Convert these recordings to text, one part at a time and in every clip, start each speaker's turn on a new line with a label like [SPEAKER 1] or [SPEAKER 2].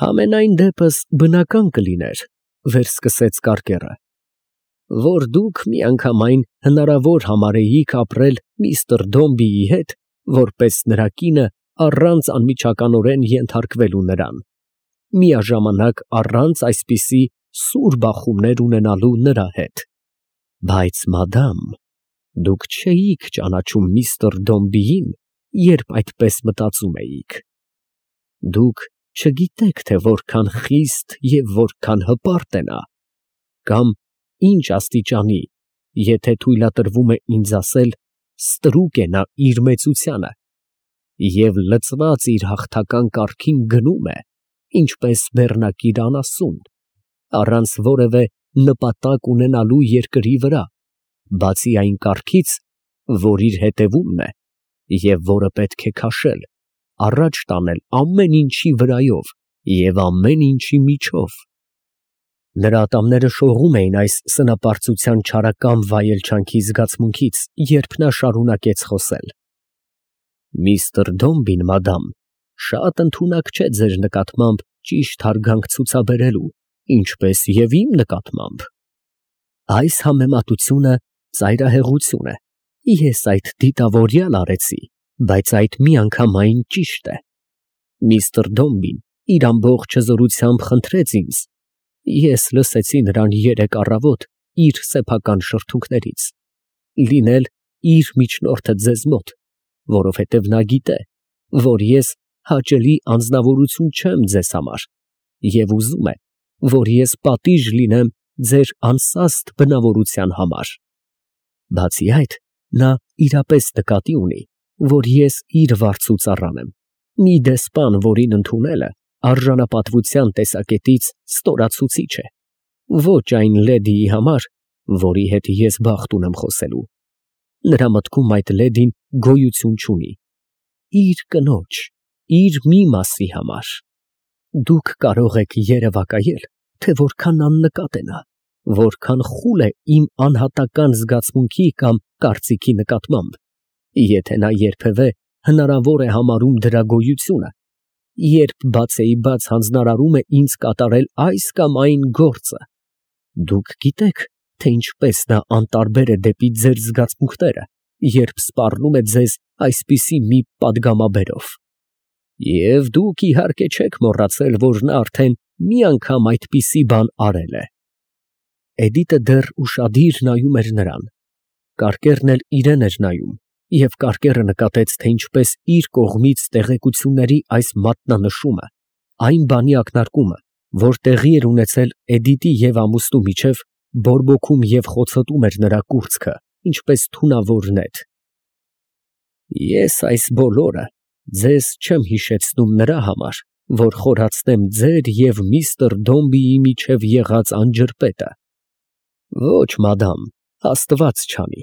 [SPEAKER 1] Համենայն դեպս բնական կլիներ, վերսկսեց կարկերը, որ դուք միանգամայն հնարավոր համարեիք ապրել միստր Դոմբիի հետ, որպես նրա կինը առանց անմիջականորեն ենթարկվելու նրան, միաժամանակ առանց այսպիսի սուր բախումներ ունենալու նրա հետ, բայց մադամ, դուք չէիք ճանաչում միստր Դոմբիին, երբ այդպես մտածում էիք, դուք չգիտեք, թե որքան խիստ և որքան հպարտ է նա, կամ ինչ աստիճանի, եթե թույլատրվում է ինձ ասել, ստրուկ է նա իր մեծությանը, և լծված իր հաղթական կառքին գնում է, ինչպես բեռնակիր անասուն, առանց որևէ նպատակ ունենալու երկրի վրա, բացի այն կառքից, որ իր հետևումն է, և որը պետք է քաշել, առաջ տանել ամեն ինչի վրայով և ամեն ինչի միջով։ Նրա ատամները շողում էին այս սնապարծության չարակամ վայելչանքի զգացմունքից, երբ նա շարունակեց խոսել. Միստր Դոմբին, մադամ, շատ ընդունակ չէ ձեր նկատմամբ ճիշտ հարգանք ցուցաբերելու, ինչպես և իմ նկատմամբ։ Այս համեմատությունը ծայրահեղություն է, ես այդ դիտավորյալ արեցի, բայց այդ միանգամայն ճիշտ է։ Միստր Դոմբին իր ամբողջ հզորությամբ խնդրեց ինձ, ես լսեցի նրան երեկ առավոտ իր սեփական շրթունքներից, լինել իր միջնորդը ձեզ մոտ, որովհետև նա գիտե, որ ես հաճելի անձնավորություն չեմ ձեզ համար և ուզում է, որ ես պատիժ լինեմ ձեր անսաստ բնավորության համար։ Բացի այդ, նա իրապես նկատի ունի, որ ես իր վարձու ծառան եմ, մի դեսպան, որին ընդունելը արժանապատվության տեսակետից ստորացուցիչ է, ոչ այն լեդիի համար, որի հետ ես բախտ ունեմ խոսելու։ Նրա մտքում այդ լեդին գոյություն չունի, իր կնոջ, իր մի մասի համար։ Դուք կարող եք երևակայել, թե որքան աննկատ է նա, որքան խուլ է իմ անհատական զգացմունքի կամ կարծիքի նկատմամբ, եթե նա երբևէ հնարավոր է համարում դրա գոյությունը, երբ բացեիբաց հանձնարարում է ինձ կատարել այս կամ այն գործը։ Դուք գիտեք, թե ինչպես նա անտարբեր է դեպի ձեր զգացմունքները, երբ սպառնում է ձեզ այսպիսի մի պատգամաբերով։ Եվ դուք իհարկե չեք մոռացել, որ նա արդեն մի անգամ այդպիսի բան արել է։ Էդիտը դեռ ուշադիր նայում էր նրան, կարկերն էլ իրան էր նայում, և կարկերը նկատեց, թե ինչպես իր կողմից տեղեկությունների այս մատնանշումը, այն բանի ակնարկումը, որ տեղի էր ունեցել Էդիտի և ամուսնու միջև, բորբոքում և խոցոտում էր նրա կուրծքը, ինչպես թունավոր նետ։ Ես այս բոլորը ձեզ չեմ հիշեցնում նրա համար, որ խորացնեմ ձեր և միստր Դոմբիի միջև եղած անջրպետը։ Ոչ, մադամ, Աստված չանի,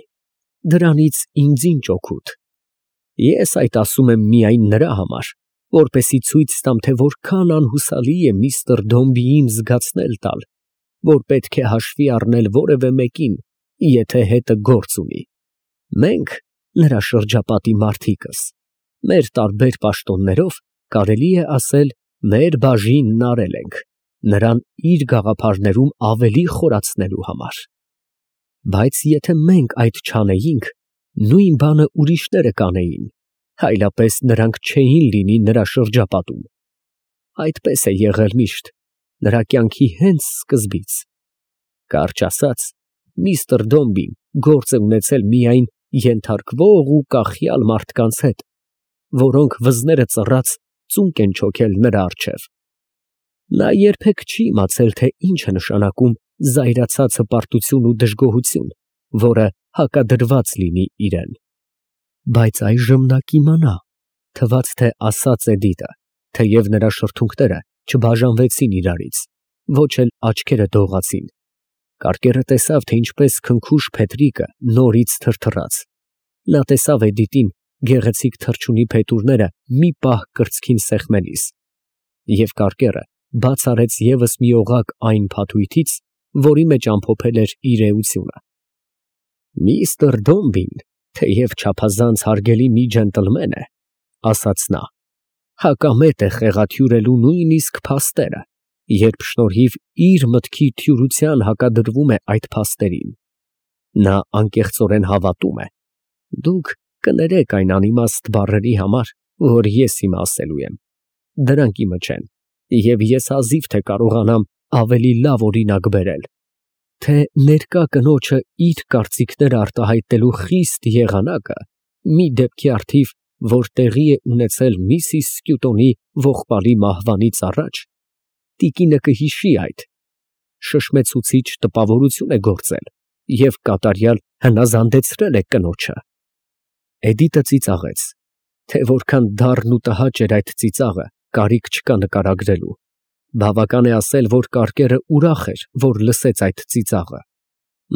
[SPEAKER 1] դրանից ինձ ինչ օգուտ։ Ես այդ ասում եմ միայն նրա համար, որպեսզի ցույց տամ, թե որքան անհուսալի է միստր Դոմբիին զգացնել տալ, որ պետք է հաշվի առնել որևէ մեկին, եթե հետը գործ ունի։ Մենք, նրա շրջապատի մարդիկս, մեր տարբեր պաշտոններով, կարելի է ասել, մեր բաժինն արել ենք, նրան իր գաղափարներում ավելի խորացնելու համար։ Բայց եթե մենք այդ չանեինք, նույն բանը ուրիշները կանեին, այլապես նրանք չէին լինի նրա շրջապատում։ Այդպես է եղել միշտ, նրա կյանքի հենց սկզբից։ Կարճ ասած, միստր Դոմբին գործ է ունեցել միայն ենթարկվող ու կախյալ մարդկանց հետ, որոնք վզները ծռած ծունկ են չոքել նրա առջև։ Նա երբեք չի իմացել, թե ինչ է նշանակում զայրացած հպարտություն ու դժգոհություն, որը հակադրված լինի իրան։ Բայց այժմ նա կիմանա, թվաց թե ասաց Էդիտը, թեև նրա շրթունքները չբաժանվեցին իրարից, ոչ էլ աչքերը դողացին։ Կարկերը տեսավ, թե ինչպես քնքուշ փետրիկը նորից թրթռաց։ Նա տեսավ Էդիտին գեղեցիկ թռչունի փետուրները մի պահ կրծքին սեղմելիս, և կարկերը բաց արեց ևս մի օղակ այն փաթույթից, որի մեջ ամփոփել էր իր էությունը։ Միստր Դոմբին, թեև չափազանց հարգելի մի ջենտլմեն է, ասաց նա, հակամետ է խեղաթյուրելու նույնիսկ փաստերը, երբ շնորհիվ իր մտքի թյուրության հակադրվում է այդ փաստերին։ Նա անկեղծորեն հավատում է. դուք կներեք այն անիմաստ բառերի համար, որ ես հիմա ասելու եմ։ Դրանք իմը չեն, և ես հազիվ թե կարողանամ ավելի լավ օրինակ բերել, թե ներկա կնոջը իր կարծիքները արտահայտելու խիստ եղանակը մի դեպքի առթիվ, որ տեղի է ունեցել Միսիս Սկյուտոնի ողբալի մահվանից առաջ, տիկինը կհիշի այդ, շշմեցուցիչ տպավորություն է գործել և կատարյալ հնազանդեցրել է կնոջը։ Էդիտը ծիծաղեց, թե որքան դառն ու տհաճ էր այդ ծիծաղը, կարիք չկա նկարագրելու։ Բավական է ասել, որ կարկերը ուրախ էր, որ լսեց այդ ծիծաղը։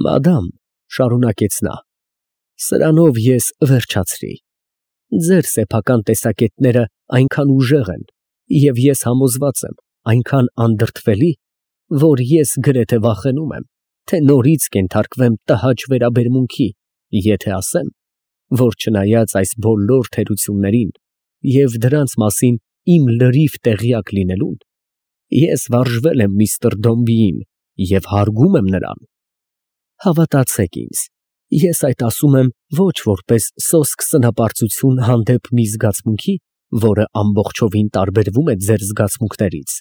[SPEAKER 1] Մադամ, շարունակեց նա, սրանով ես վերջացրի։ Ձեր սեփական տեսակետները այնքան ուժեղ են, և ես համոզված եմ, այնքան անդրդվելի, որ ես գրեթե վախենում եմ, թե նորից կենթարկվեմ տհաճ վերաբերմունքի, եթե ասեմ, որ չնայած այս բոլոր թերություններին և դրանց մասին իմ լրիվ տեղյակ լինելուն, ես վարժվել եմ միստր Դոմբիին և հարգում եմ նրան։ Հավատացեք ինձ, ես այդ ասում եմ ոչ որպես սոսկ սնապարծություն հանդեպ մի զգացմունքի, որը ամբողջովին տարբերվում է ձեր զգացմունքներից,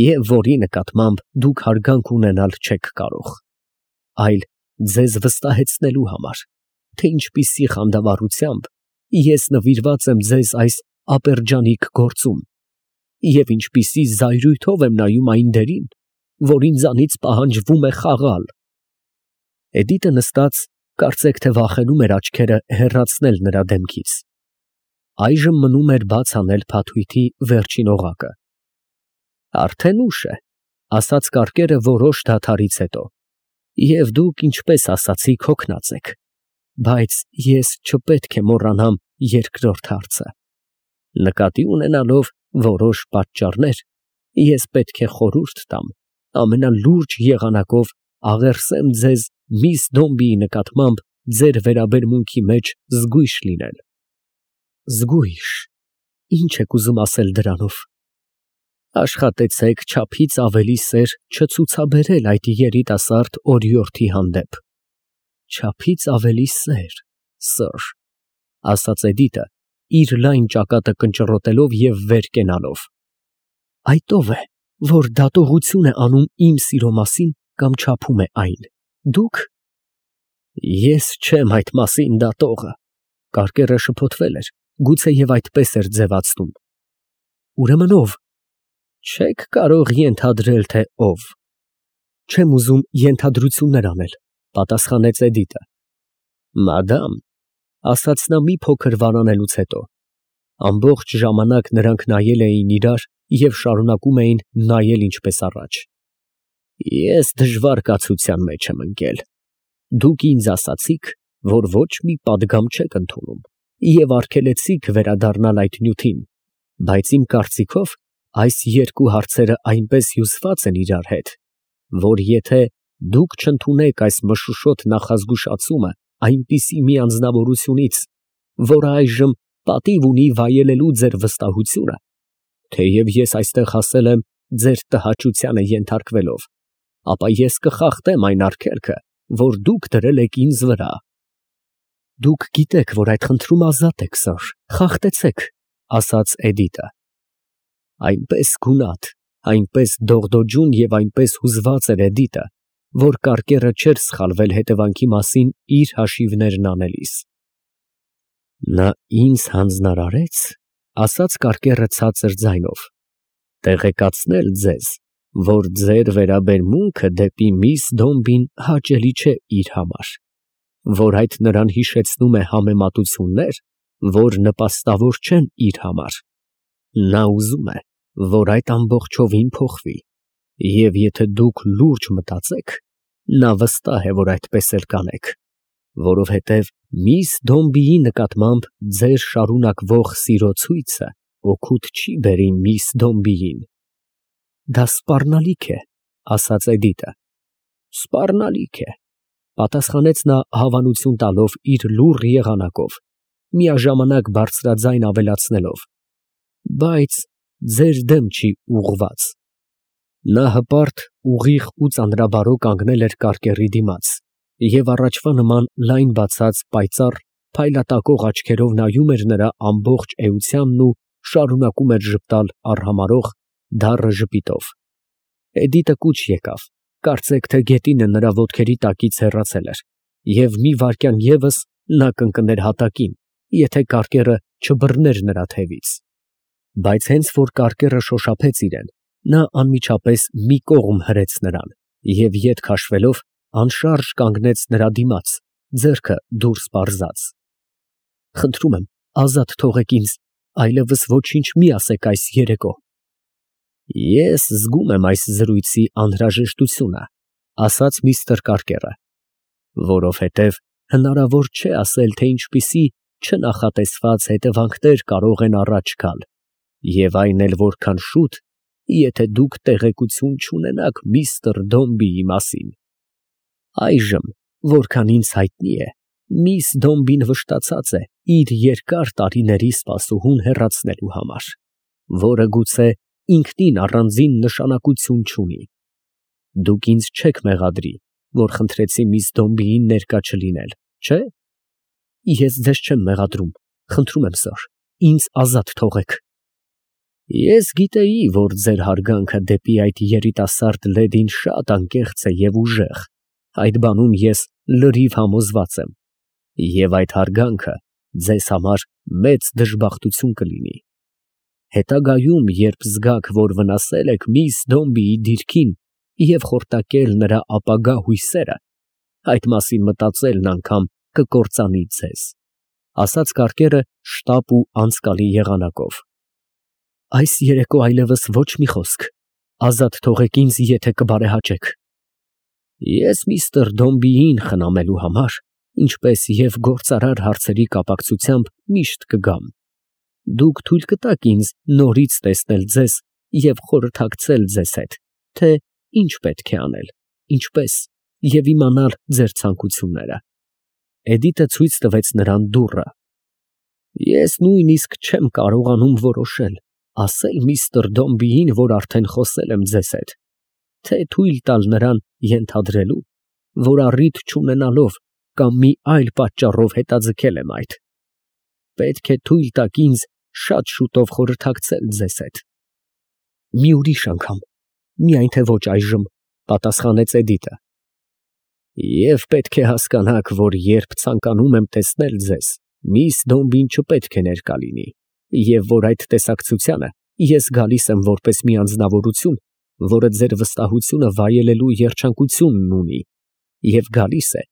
[SPEAKER 1] և որի նկատմամբ դուք հարգանք ունենալ չեք կարող, այլ ձեզ վստահեցնելու համար, թե ինչպիսի խանդավառությամբ ես նվիրված եմ ձեզ այս ապերջանիկ գործում և ինչպիսի զայրույթով եմ նայում այն դերին, որ ինձանից պահանջվում է խաղալ։ Էդիտը նստած, կարծեք թե վախենում էր աչքերը հեռացնել նրա դեմքից։ Այժմ մնում էր բաց անել փաթույթի վերջին օղակը։ Արդեն ուշ է, ասաց կարկերը որոշ դադարից հետո, և դուք, ինչպես ասացիք, հոգնած եք, բայց ես չպետք է մոռանամ երկրորդ հարցը։ Նկատի ունենալով որոշ պատճառներ, ես պետք է խորհուրդ տամ ամենալուրջ եղանակով աղերսեմ ձեզ միս Դոմբիի նկատմամբ ձեր վերաբերմունքի մեջ զգույշ լինել։ Զգույշ, ինչ եք ուզում ասել դրանով։ Աշխատեցեք չափից ավելի սեր չցուցաբերել այդ երիտասարդ օրիորդի հանդեպ։ Չափից ավելի սեր, սըր, ասաց Էդիտը, իր լայն ճակատը կնճռոտելով և վեր կենալով։ Այդ ով է, որ դատողություն է անում իմ սիրո մասին կամ չափում է այն։ Դուք։ Ես չեմ այդ մասին դատողը։ Կարկերը շփոթվել էր, գուցեև այդպես էր ձևացնում։ Ուրեմն ով։ Չեք կարող ենթադրել, թե ով։ Չեմ ուզում ենթադրություններ անել, պատասխանեց Էդիտը։ Մադամ, ասաց նա մի փոքր վարանելուց հետո, ամբողջ ժամանակ նրանք նայել էին իրար և շարունակում էին նայել ինչպես առաջ։ Ես դժվար կացության մեջ եմ ընկել։ Դուք ինձ ասացիք, որ ոչ մի պատգամ չեք ընդունում և արգելեցիք վերադառնալ այդ նյութին, բայց իմ կարծիքով այս երկու հարցերը այնպես հյուսված են իրար հետ, որ եթե դուք չընդունեք այս մշուշոտ նախազգուշացումը այնպիսի մի անձնավորությունից, որը այժմ պատիվ ունի վայելելու ձեր վստահությունը, թեև ես այստեղ հասել եմ ձեր տհաճությանը ենթարկվելով, ապա ես կխախտեմ այն արգելքը, որ դուք դրել եք ինձ վրա։ Դուք գիտեք, որ այդ խնդրում ազատ եք, սըր, խախտեցեք, ասաց Էդիտը։ Այնպես գունատ, այնպես դողդոջուն և այնպես հուզված էր Էդիտը, որ կարկերը չէր սխալվել հետևանքի մասին իր հաշիվներն անելիս։ Նա ինձ հանձնարարեց, ասաց կարկերը ցածր ձայնով, տեղեկացնել ձեզ, որ ձեր վերաբերմունքը դեպի միս Դոմբին հաճելի չէ իր համար, որ այդ նրան հիշեցնում է համեմատություններ, որ նպաստավոր չեն իր համար։ Նա ուզում է, որ այդ ամբողջովին փոխվի, և եթե դուք լուրջ մտածեք, նա վստահ է, որ այդպես էլ կանեք, որովհետև միս Դոմբիի նկատմամբ ձեր շարունակվող սիրո ցույցը օգուտ չի բերի միս Դոմբիին։ Դա սպառնալիք է, ասաց Էդիտը։ Սպառնալիք է, պատասխանեց նա հավանություն տալով իր լուռ եղանակով, միաժամանակ բարձրաձայն ավելացնելով, բայց ձեր դեմ չի ուղղված։ Նա հպարտ, ուղիղ ու ծանրաբարո կանգնել էր կարկերի դիմաց և առաջվա նման լայն բացած, պայծառ, փայլատակող աչքերով նայում էր նրա ամբողջ էությանն ու շարունակում էր ժպտալ արհամարհող, դառը ժպիտով։ Էդիտը կուչ եկավ, կարծեք թե գետինը նրա ոտքերի տակից հեռացել էր, և մի վայրկյան ևս նա կընկներ հատակին, եթե կարկերը չբռներ նրա թևից։ Բայց հենց որ կարկերը շոշափեց իրեն, նա անմիջապես մի կողմ հրեց նրան և ետ քաշվելով անշարժ կանգնեց նրա դիմաց, ձեռքը դուրս պարզած։ Խնդրում եմ, ազատ թողեք ինձ, այլևս ոչինչ մի ասեք այս երեկո։ Ես զգում եմ այս զրույցի անհրաժեշտությունը, ասաց միստր Կարկերը, որովհետև հնարավոր չէ ասել, թե ինչպիսի չնախատեսված հետևանքներ կարող են առաջ գալ, և այն էլ որքան շուտ, եթե դուք տեղեկություն չունենաք միստր Դոմբիի մասին։ Այժմ, որքան ինձ հայտնի է, միս Դոմբին վշտացած է իր երկար տարիների սպասուհուն հեռացնելու համար, որը գուցե ինքնին առանձին նշանակություն չունի։ Դուք ինձ չեք մեղադրի, որ խնդրեցի միս Դոմբիին ներկա չլինել, չէ՞։ Ես ձեզ չեմ մեղադրում, խնդրում եմ, սըր, ինձ ազատ թողեք։ Ես գիտեի, որ ձեր հարգանքը դեպի այդ երիտասարդ լեդին շատ անկեղծ է և ուժեղ, այդ բանում ես լրիվ համոզված եմ, և այդ հարգանքը ձեզ համար մեծ դժբախտություն կլինի։ Հետագայում, երբ զգաք, որ վնասել եք միս Դոմբիի դիրքին և խորտակել նրա ապագա հույսերը, այդ մասին մտածելն անգամ կկործանի ձեզ, ասաց Կարկերը շտապ ու անցկալի եղանակով։ Այս երեկո այլևս ոչ մի խոսք, ազատ թողեք ինձ, եթե կբարեհաճեք։ Ես միստր Դոմբիին խնամելու համար, ինչպես և գործարար հարցերի կապակցությամբ միշտ կգամ։ Դուք թույլ կտաք ինձ նորից տեսնել ձեզ և խորհրդակցել ձեզ հետ, թե ինչ պետք է անել, ինչպես, և իմանալ ձեր ցանկությունները։ Էդիտը ցույց տվեց նրան դուռը։ Ես նույնիսկ չեմ կարողանում որոշել, ասել միստր Դոմբիին, որ արդեն խոսել եմ ձեզ հետ, թե թույլ տալ նրան ենթադրելու, որ առիթ չունենալով կամ մի այլ պատճառով հետաձգել եմ այդ։ Պետք է թույլ տաք ինձ շատ շուտով խորհրդակցել ձեզ հետ։ Մի ուրիշ անգամ, միայն թե ոչ այժմ, պատասխանեց Էդիտը։ Եվ պետք է հասկանաք, որ երբ ցանկանում եմ տեսնել ձեզ, միս Դոմբին չպետք է ներկա լինի, և որ այդ տեսակցությանը ես գալիս եմ որպես մի անձնավորություն, որը ձեր վստահությունը վայելելու երջանկությունն ունի, և գալիս է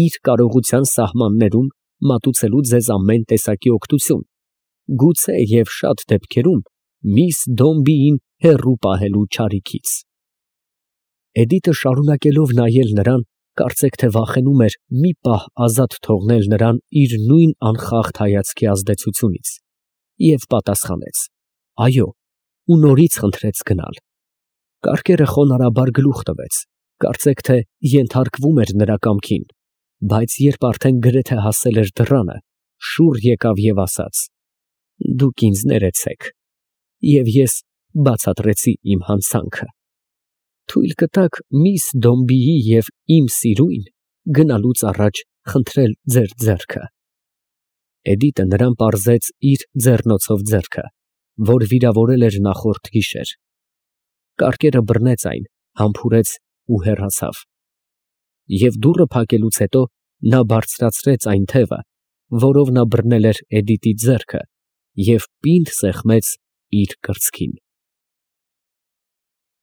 [SPEAKER 1] իր կարողության սահմաններում մատուցելու ձեզ ամեն տեսակի օգնություն, գուցե և շատ դեպքերում միս Դոմբիին հեռու պահելու չարիքից։ Էդիտը շարունակելով նայել նրան, կարծեք թե վախենում էր մի պահ ազատ թողնել նրան իր նույն անխախտ հայացքի ազդեցությունից, և պատասխանեց. այո, ու նորից խնդրեց գնալ։ Կարկերը խոնարհաբար գլուխ տվեց, կարծեք թե ենթարկվում էր նրա կամքին, բայց երբ արդեն գրեթե հասել էր դռանը, շուռ եկավ և ասաց. դուք ինձ ներեցեք, և ես բացատրեցի իմ հանցանքը։ Թույլ կտաք միս Դոմբիի և իմ սիրուն գնալուց առաջ խնդրել ձեր ձեռքը։ Էդիտը նրան պարզեց իր ձեռնոցով ձեռքը, որ վիրավորել էր նախորդ գիշեր։ Կարկերը բռնեց այն, համբուրեց ու հեռացավ։ Եվ դուռը փակելուց հետո նա բարձրացրեց այն թևը, որով նա բռնել էր Էդիտի ձեռքը, և պինդ սեղմեց իր կրծքին։